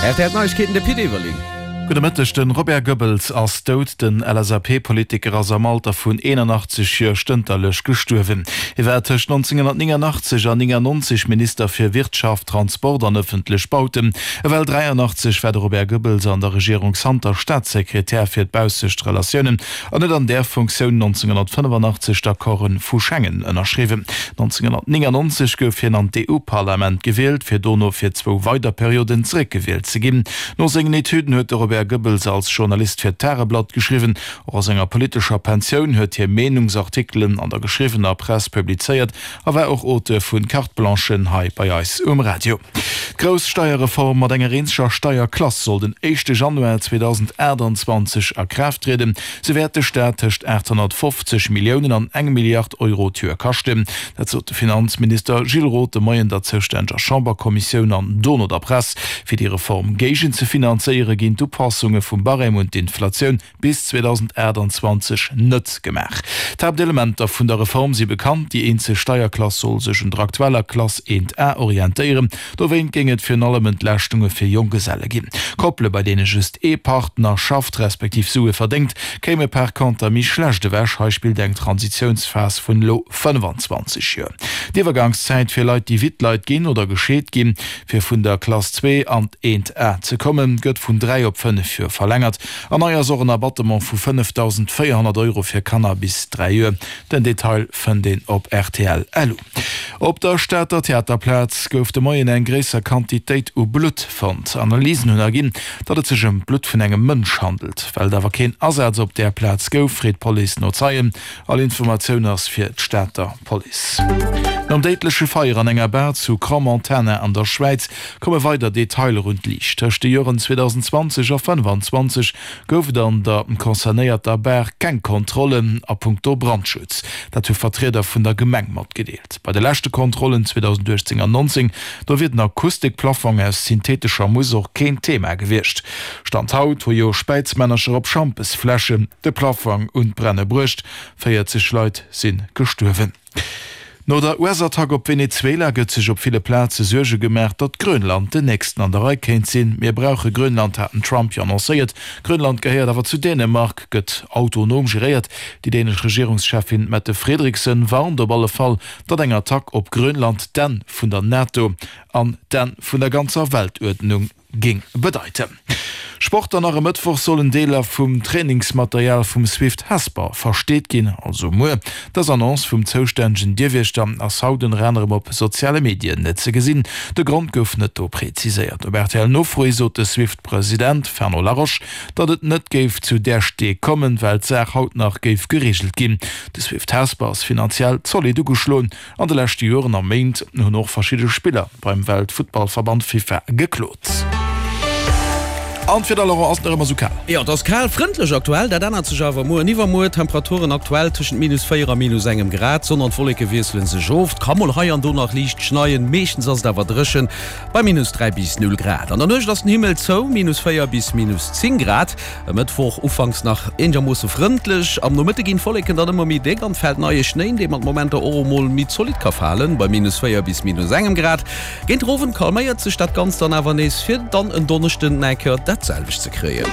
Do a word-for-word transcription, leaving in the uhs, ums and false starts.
R T L Neiegkeeten, de Pit Everling. Gudde Mëtteg, De Robert Goebbels ass dout. Den L S A P-Politiker ass am Alter vun eenanachtzeg Joer stënterlech gestuerwen. Hie war tëscht nonzénghonnertnéngannachtzeg an néngannonzeg Minister fir Wirtschaft, Transport an ëffentlech Bauten. Ewell dräiannachtzeg war de Robert Goebbels an der Regierung Santer Staatssekretär fir d'baussescht Relatiounen an huet an där Funktioun nonzénghonnertfënnefannachtzeg d'Accorde vu Schengen ënnerschriwwen. nonzénghonnertnéngannonzeg gouf hien an d'E U-Parlament gewielt, fir dono fir zwou weider Perioden zeréckgewielt ze ginn. No sengen Etüden huet de Robert Goebbels als Journalist fir d'Tageblatt geschriwwen. Och a senger politescher Pensioun huet hie Meenungsartikelen an der geschriwwener Press publizéiert a war och Auteur vun Carte-blanchen hei bei eis um Radio. D'grouss Steierreform mat enger eenzeger Steierklass soll den éischte Januar zweedausendaachtanzwanzeg a Kraaft trieden. Se wäert de Staat tëscht aathonnertfofzeg Milliounen an eng Milliard Euro d'Joer kaschten. Dat sot de Finanzminister Gilles Roth de Moien der zoustänneger Chamberkommissioun an dono der Press. Fir déi Reform géigenzefinanzéiere ginn d'Upassunge vum Barème un d'Inflatioun bis zweedausendaachtanzwanzeg net gemaach. D'Haaptelementer vun der Reform si bekannt, Déi eenzeg Steierklass soll sech un der aktueller Klass eent A orientéieren. Dowéint géing et virun allem Entlaaschtunge fir Jonggeselle ginn. Koppele bei deene just ee Partner schafft, respektiv Sue verdéngt, kéime par conter méi schlecht ewech. Hei spillt eng Transitiounsphas vun elo fënnfanzwanzeg Joer. D'Iwwergangszäit fir Leit, déi Wittleit ginn oder gescheet ginn, fir vun der Klass zwee an d'eent A ze kommen, gëtt vun dräi op fënnef Joer verlängert. An nei ass och en Abattement vu fënnefdausendvéierhonnert Euro fir Kanner bis dräi Joer. Den Detail fënnt een op rtl punkt lu. Op der Stater Theaterplaz gouf de Moien eng gréisser Quantitéit u Blutt fonnt. Analysen hunn erginn, datt et sech ëm d'Blutt vun engem Mënsch handelt. Well et awer keen Asaz op där Plaz gouf, freet d'Police no Zeien. All Informatioun ass fir d'Stater Police. Nom déidleche Feier an enger Bar zu Crans-Montana an der Schwäiz komme weider Detailer un d'Liicht. Tëscht de Joren zweedausendenzwanzeg a fënnfanzwanzeg gouf et an der concernéierter Bar keng Kontrollen a punkto Brandschutz. Dat hu Vertrieder vun der Gemeng matgedeelt. Bei de leschte Kontrollen zweedausendachtzéng an nonzéng, do wier den Akustikplafong aus synthetescher Mousse och keen Thema gewiescht. Stand haut hu jo Späizmännercher op Schampesfläschen de Plafong un d'Brenne bruecht. véierzeg Leit si gestuerwen. No der U S-Attack op Venezuela gëtt sech op ville Plaze Suerge gemaach, datt Grönland den nächsten an der Rei kéint sinn. Mir brauche Grönland, hat den Trump jo annoncéiert. Grönland gehéiert awer zu Dänemark, gëtt autonom geréiert. Déi dänesch Regierungscheffin Mette Frederiksen warnt op alle Fall, datt eng Attack op Grönland d'Enn vun der NATO an d'Enn vun der ganzer Weltuerdnung géing bedeiten. Sport an nach e Mëttwoch sollen Deeler vum Trainingsmaterial vum Swift Hesper versteet ginn, also muer. Dës Annonce vum zoustännegen Dierwiechter ass haut ënner anerem op soziale Medien ze gesinn. De Grond gouf net do präziséiert. Op R T L Nofro hi sot de Swift-President Fernand Laroche, datt et net géif zu där Stee kommen, well d'Saach haut nach géif gereegelt ginn. De Swift Hesper ass finanziell zolidd ugeschloen. An de leschte Joren a Méint hunn och verschidde Spiller beim Weltfuttballverband FIFA geklot. An d'Wieder, Laurent, ass nach ëmmer sou kal? Jo, et ass kal, frëndlech aktuell. Dat ännert sech awer muer an iwwermuer. Temperaturen aktuell tëschent minus véier a minus engem Grad. D'Sonn an d'Wolleke wiessele sech of. Et ka mol hei an do nach liicht schneien, meeschtens ass et awer dréchen bei minus dräi bis null Grad. An der Nuecht ass den Himmel zou, minus véier bis minus zéng Grad. E Mëttwoch ufanks nach eenegermoosse frëndlech, am Nomëtte ginn d'Wolleken dann ëmmer méi déck an et fält neie Schnéi, dee mat Momenter och emol méi zolidd ka falen, bei minus véier bis minus engem Grad. Géint den Owend calméiert sech dat Ganzt dann awer nees, fir dann en Donneschden nach eng Kéier dat selwecht ze kréien.